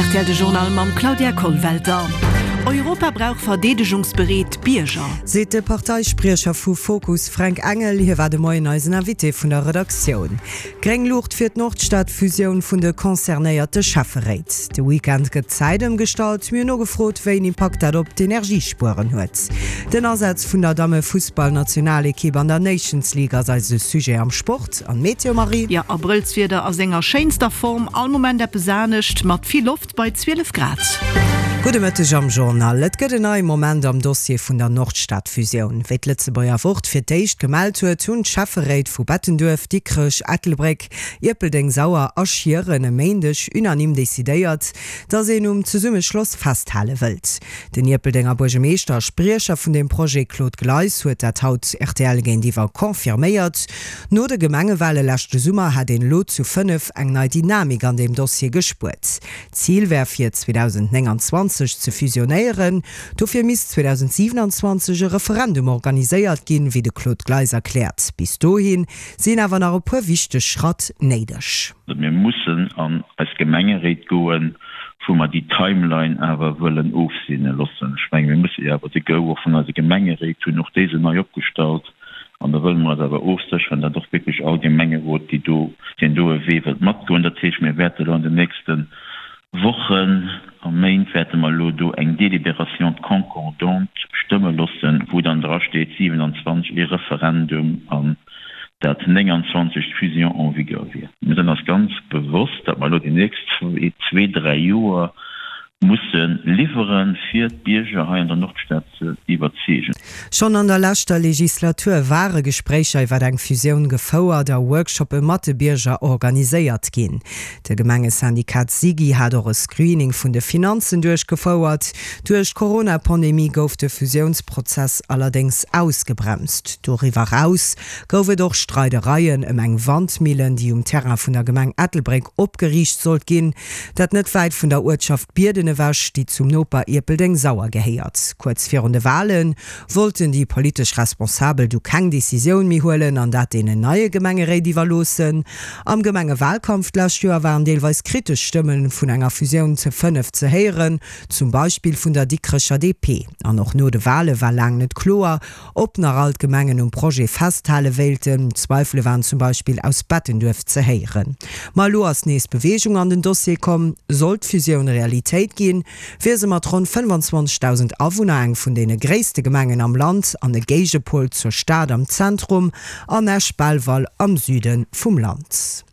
Rtl De Journal mam Claudia Kollwelter. Europa brauch verdeedegungsbereet Bierger. Seet de Parteispriecher vu Fokus Fränk Engel. Hie war de Moien eisen Invité vun der Redaktioun. Gréng Luucht fir d'Nordstad-Fusioun vun de concernéierte Schäfferéit. De Weekend gëtt d'Zäit ëmgestallt. Mir hunn nogefrot, wéi een Impakt dat op d'Energiespueren huet. Den Asaz vun der Damme-Fussball-Nationalekipp an der Nations League ass eise Sujet am Sport. An d'Meteo, Marie? Jo, Abrëllswieder a senger schéinster Form, all Moment eppes anescht, mat vill Loft bei 12 Grad. Gudde Mëtteg am Journal. Et gëtt en neie Moment am Dossier vun der Nordstad-Fusioun. Wéi d'Lëtzebuerger Wort fir d'éischt gemellt huet, hunn d'Schäfferéit vu Bettenduerf, Dikrech, Ettelbréck, Ierpeldeng, Sauer a Schieren e Méindeg unanime decidéiert, datt een um Zesummeschloss festhale wëllt. Den Ierpeldenger Buergemeeschter a Spriecher vun deem Projet Claude Gleis huet dat haut rtl géintiwwer confirméiert. No de Gemengewale leschte Summer hätt een elo zu 5 eng nei Dynamik an deem Dossier gespuert. D'Zil wär fir 2029 ze fusionéieren. Dofir misst 2027 e Referendum organiséiert ginn, wéi de Claude Gleis erkläert. Bis dohi sinn awer nach e puer wichteg Schratt néideg. Mir mussen an eis Gemengeréit goen, wou mer déi Timeline awer wëllen ofseene loossen. Ech menge mir musse jo awer de Go och vun eise Gemengeréit hunn, och déi sinn nei opgestallt. An da wëlle mer eis awer ofsécheren, datt och wierklech all Gemengerot, déi do, deen do e Wee wëllt matgoen. Dat heescht, mir wäerte elo an den nächste Wochen a Méint wäerte mer elo do eng Délibération concordante stëmme loossen, wou dann drasteet 27 ee Referendum an dat 29 d'Fusion en vigueur wier. Mir sinn eis ganz bewosst, datt mer elo déi nächst zwee, dräi Joer musse liwweren, fir d'Bierger hei an der Nordstad ze iwwerzeegen. Schonn an der leschter Legislatur ware Gespréicher iwwer eng Fusioun gefouert a Workshoppe mat de Bierger organiséiert ginn. De Gemengesyndikat SIGI hat och e Screening vun de Finanzen duerchgefouert. Duerch d'Corona-Pandemie gouf de Fusiounsprozess allerdéngs ausgebremst. Doriwwer eraus gouf et och Streidereien ëm eng Wandmillen, déi um Terrain vun der Gemeng Ettelbréck opgeriicht sollt ginn. Dat net wäit vun der Uertschaft Bierden ewech, déi zum Noper Ierpeldeng-Sauer gehéiert. Kuerz virun de Wale wollten déi politesch Responsabel du keng Decisioun méi huelen an dat deenen neie Gemengeréit iwwerloossen. Am Gemengewalkampf d'lescht Joer waren deelweis kritesch Stëmme vun enger Fusioun ze 5 ze héieren, zum Beispill vun der Dikrecher DP. An och no de Wale war laang net kloer, Ob nach all d'Gemengen um Projet festhale wéilten, Zweifele waren zum Beispill aus Bettenduerf ze héieren. Ma elo ass nees Beweegung an den Dossier komm. Sollt d'Fusioun Realitéit ginn, wier se mat ronn 25.000 Awunner eng vun deene gréisste Gemengen am Land an e Géigepol zur Stad am Zentrum an Esch-Belval am Süde vum Land.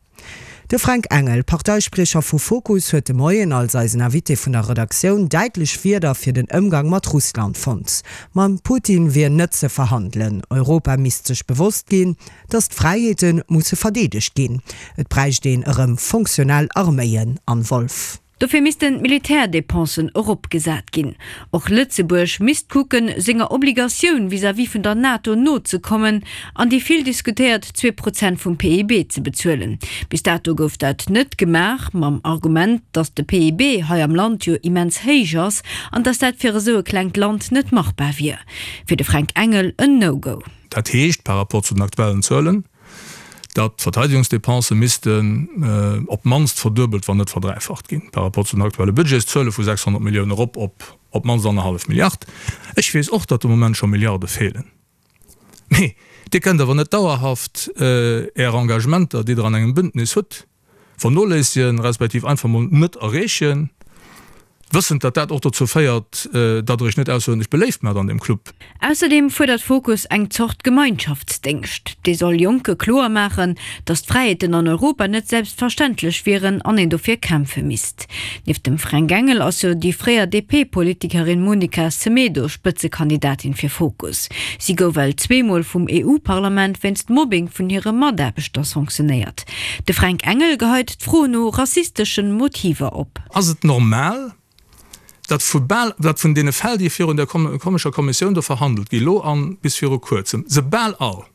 De Fränk Engel, Parteispriecher vu Fokus, huet de Moien als eisen Invité vun der Redaktioun däitlech Wierder fir den Ëmgang mat Russland fonnt. Mam Putin wier net ze verhandelen. Europa misst sech bewosst ginn, datt d'Fräiheete musse verdeedegt ginn. Et bräicht een erëm fonctionnel Arméien. Anne Wolff. Dofir missten d'Militärdepensen eropgesat ginn. Och Lëtzebuerg misst kucken, senger Obligatioun vis-à-vis vun der NATO nozekommen an déi vill diskutéiert 2 Prozent vum PIB ze bezuelen. Bis dato gouf dat net gemaach, mam Argument, datt de PIB hei am Land jo immens héich ass an datt dat fir esou e klengt Land net machbar wier. Fir de Fränk Engel en No-Go. Dat heescht, par rapport zu den aktuellen Zuelen, datt d'Verteidigungsdépense missten op d'mannst verduebelt, wann net verdräifacht ginn, par rapport zu den aktuelle Budgetszuele vu 600 Milliounen erop op op d'mannst annerhallef Milliard. Ech weess och, datt de Moment scho Milliarde feelen. Mee Dir kënnt awer net dauerhaft Är Engagementer, déi Der an engem Bündnis hutt, vernoléissegen, respektiv einfach mol net erreechen, wëssend, datt dat och dozou féiert, datt Der Iech net ausseruerdentlech beléift maacht an deem Club. Ausserdeem fuerdert Fokus eng Zort Gemeinschaftsdéngscht. Dee soll Jonke kloer maachen, datt d'Fräiheeten an Europa net selbstverständlech wieren an een dofir kämpfe misst. Nieft dem Fränk Engel ass jo déi fréier DP-Politikerin Monica Semedo Spëtzekandidatin fir Fokus. Si gouf ewell zweemol vum EU-Parlament wéinst Mobbing vun hire Mataarbechter sanktionéiert. De Fränk Engel geheit d'Fro no rassisteschen Motiver op. Ass et normal, datt vu bal, datt vun deene Fäll, déi virun där komescher Kommissioun do verhandelt gi lo an bis viru kuerzem, se bal all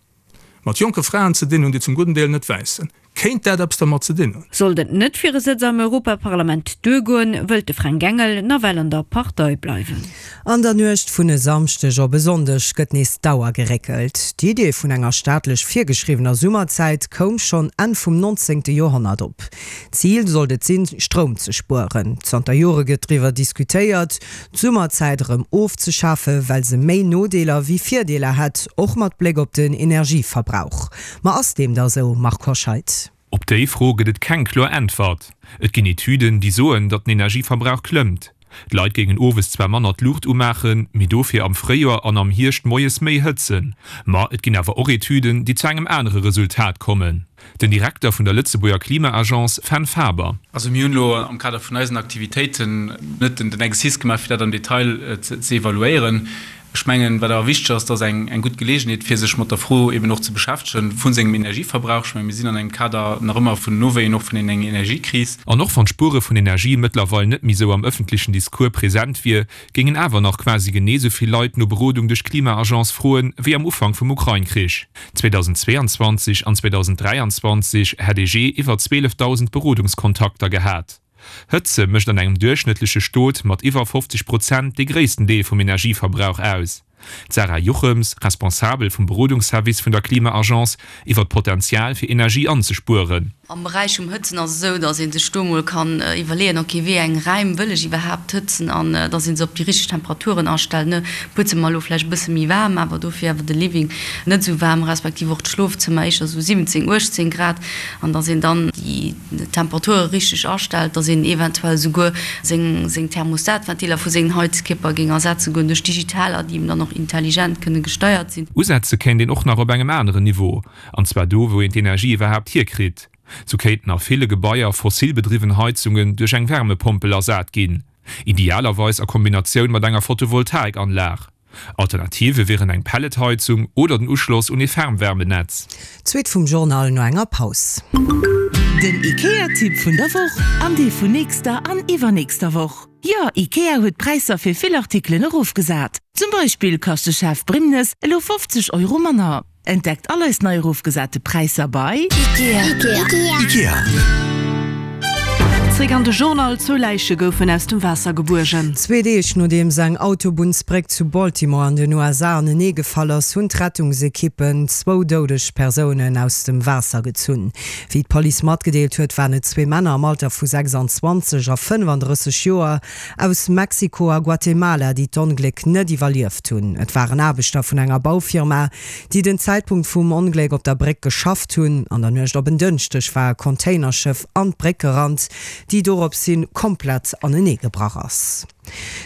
mat jonke Fraen ze dinn hunn, déi zum gudden Deel net wäiss sinn? Kéint dat eppes dermat ze dinn hunn? Sollt et net fir e Sëtz am Europaparlament duergoen, wëllt de Fränk Engel nawell an der Partei bleiwen. An der Nuecht vun e Samschdeg op e Sonndeg gëtt nees d'Auer geréckelt. D'Idee vun enger staatlech virgeschriwwener Summerzäit koum schonn Enn vum 19. Joerhonnert op. Zil sollt et sinn, Stroum ze spueren. Zanter Jore gëtt driwwer diskutéiert, d'Summerzäit erëm ofzeschafen, well se méi Nodeeler wéi Virdeeler hätt, och mat Bléck op den Energieverbrauch. Ma ass deem da sou, Marc Hoscheid? Op déi Fro gëtt et keng kloer Äntwert. Et ginn Etüden, déi soen, datt den Energieverbrauch klëmmt. D'Leit géingen owes zwar manner d'Luucht umaachen, mee dofir am Fréijoer an am Hierscht moies méi hëtzen. Ma et ginn awer och Etüden, déi zu engem anere Resultat kommen. Den Direkter vun der Lëtzebuerger Klima-Agence Fenn Faber. Also mir hunn elo am Kader vun eisen Aktivitéiten net den Exercice gemaach, fir dat am Detail ze evaluéieren. Ech mengen, wat awer wichteg ass, et ass eng gutt Geleegenheet, fir sech mat der Fro eben och ze beschäftegen vu sengem Energieverbrauch. Ech mengen, mir sinn an engem Kader nach ëmmer vun Nowéien och vun enger Energiekris. An och wann d'Spuere vun Energie mëttlerweil net méi sou am ëffentlechen Discours present wier, géingen awer nach quasi genee sou vill Leit no Berodung duerch d'Klima-Agence froen, wéi am Ufank vum Ukrain-Krich. 2022 an 2023 hätt ee jee iwwer 12.000 Berodungskontakter gehat. Hëtze mécht an engem duerchschnëttleche Stot mat iwwer 50 Prozent dee gréissten Deel vum Energieverbrauch aus. D'Sarah Juchems, Responsabel vum Berodungsservice vun der Klima-Agence, iwwer d'Potenzial fir Energie anzespueren. Am Beräich vum Hëtzen ass et esou, datt ee sech do emol kann iwwerleeën, ok, wéi eng Räim wëll ech iwwerhaapt hëtzen an datt ee se op déi richteg Temperaturen astellt, ne. D'Buedzëmmer elo vläicht e bësse méi waarm, awer dofir awer de Living net esou waarm, respektiv och d'Schlofzëmmer éischter esou 17, 18 Grad an datt een dann déi. D'Temperature richteg astellt, dass een eventuell esouguer seng seng Thermostatventiler vu sengen Heizkierper géing ersetze goen duerch digitaler, déi eben dann och intelligent kënne gesteiert sinn. Usetze kéint een och nach op engem aneren Niveau, an zwar do wou een d'Energie iwwerhaapt hierkritt. Sou kéinten a ville Gebaier fossilbedriwwen Heizungen duerch eng Wärmepompel ersat ginn, idealerweis a Kombinatioun mat enger Photovoltaikanlag. Alternative wieren eng Pelletheizung oder den Uschloss un ee Fernwärmenetz. D'Suite vum Journal no enger Paus. Den IKEA-Tipp vun der Woch an dee vun nächster an iwwernächster Woch. Jo, IKEA huet d'Präisser fir vill Artikelen erofgesat. Zum Beispill kascht de Chef Brimnes elo 50 Euro manner. Entdeckt all eis nei erofgesate Präisser bei. Ikea. Ikea. Zréck an de Journal. Zwou Läiche goufen aus dem Waasser gebuergen. Zwee Deeg nodeems eng Autobunnsbréck zu Baltimore an den USA anenee gefall ass, hunn d'Rettungsekippen zwou doudeg Persounen aus dem Waasser gezunn. Wéi d'Police matgedeelt huet, waren et zwee Männer am Alter vu 26 a 35 Joer aus Mexiko a Guatemala, déi d'Ongléck net iwwerlieft hunn. Et waren Aarbechter vun enger Baufirma, déi den Zäitpunkt vum Ongléck op der Bréck geschafft hunn. An der Nuecht op en Dënschdeg war e Containerschëff an d'Bréck gerannt, déi dorops hin komplett anenee gebrach ass.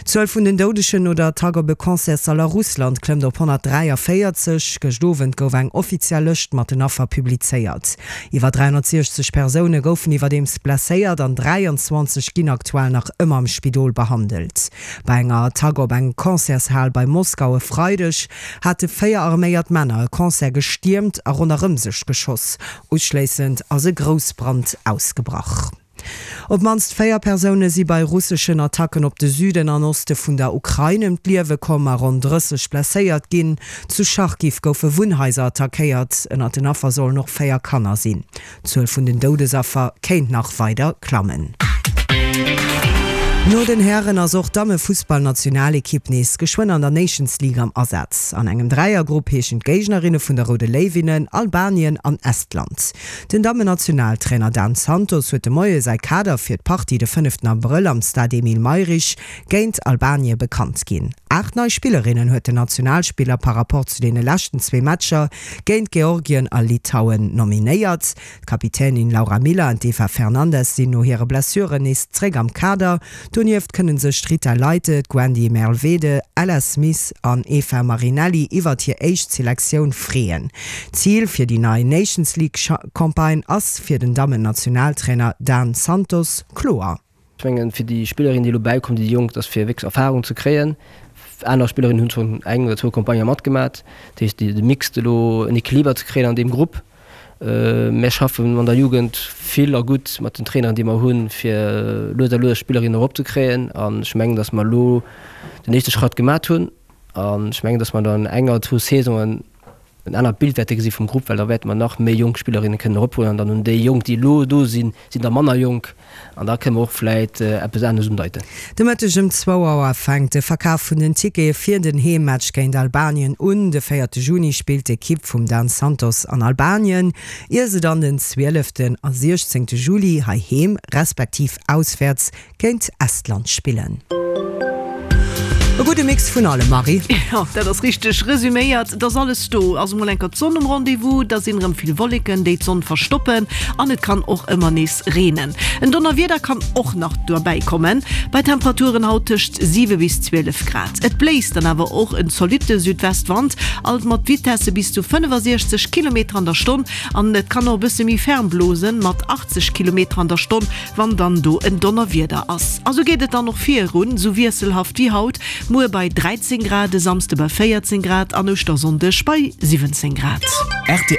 D'Zuel vun den Doudegen no der Attack op e Concertssall a Russland klëmmt op 143. Gëscht Owend gouf eng offiziell Lëscht mat den Affer publizéiert. Iwwer 360 Persoune goufen iwwerdeems blesséiert an 23 ginn aktuell nach ëmmer am Spidol behandelt. Bei enger Attack op eng Concertshal bei Moskau e Freideg hate 4 arméiert Männer e Concert gestiermt a ronderëm sech geschoss. Uschléissend ass e Groussbrand ausgebrach. Op d'mannst 4 Persoune si bei russeschen Attacken op de Süden an Oste vun der Ukrain ëm d'Liewe komm a ronn 30 blesséiert ginn. Zu Charkiw goufe Wunnhaiser attackéiert. Ënnert den Affer sollen och 4 Kanner sinn. D'Zuel vun den Doudesaffer kéint nach weider klammen. No den Hären ass och d'Damme-Fussballnationalekipp nees geschwënn an der Nations League am Asaz. An engem Dräiergrupp heeschen d'Géignerinne vun der Roude Léiwinnen Albanien an Estland. Den Dammen-Nationaltrainer Dan Santos huet de Moie säi Kader fir d'Partie de fënneften Abrëll am Stade Emile Mayrisch géint Albanie bekannt ginn. 8 nei Spillerinnen huet den Nationalspiller par Rapport zu deene leschten zwee Matcher géint Georgien a Litauen nominéiert. D'Kapitänin Laura Miller an d'Eva Fernandes sinn no hire Blessuren nees zréck am Kader. Donieft kënne sech d'Rita Leite, d'Gwendy Merlvede, Ella Smith an Eva Marinelli iwwert hir éischt Selektioun freeën. D'Zil fir déi nei Nations League Campagne ass fir den Dammen-Nationaltrainer Dan Santos kloer. Ech mengen, fir déi Spillerinnen, déi elo bäikommen, déi Jonk, dat ass fir wierklech Erfarung ze kréien. Aner Spillerinnen hunn schonn eng oder zwou Campagner matgemat. Dat heescht, de Mix elo, en Equiliber ze kréien an deem Grupp. Mär schaffen an der Jugend vill a gutt mat den Traineren, déi mer hunn, fir lues a lues Spillerinnen eropzekréien. An ech mengen, datt mer elo den éischte Schratt gemat hunn. An ech mengen, datt mer dann enger, zwou Saisonen. en anert Bild wäerte gesi vum Grupp, well da wäerte mer nach méi jonk Spillerinne kënnen erophuelen an dann hunn déi Jonk, déi elo do sinn, sinn da manner jonk an da kënne mer och vläit eppes anescht undeiten. De Mëtteg ëm zwou Auer fänkt de Verkaf vun den Tickete fir den Heemmatch géint Albanien un. De véierte Juni spillt d'Ekipp vum Dan Santos an Albanien, ier se dann den zwieleften a siechzéngte Juli heiheem respektiv auswäerts Géint Estland spillen. E gudde Mix vun allem, Marie. Jo, dat ass richteg resüméiert. Et ass alles do. Ass emol enker d'Sonn um Rendez-vous, da sinn erëm vill Wolleken, déi d'Sonn verstoppen an et kann och ëmmer nees reenen. En Donnerwieder kann och nach dobäi kommen, bei Temperaturen haut tëscht 7 bis 12 Grad. Et bléist dann awer och en zolitte Südwestwand, alt mat Vitesse bis zu 65 Kilometer an der Stonn an et kann och e bësse méi ferm blosen, mat 80 Kilometer an der Stonn. Wann dann do en Donnerwieder ass. A sou geet et dann och virun, sou wiesselhaft wéi haut, muer bei 13 Grad, e Samsde bei 14 Grad an Ouschtersonndeg bei 17 Grad. Rtl.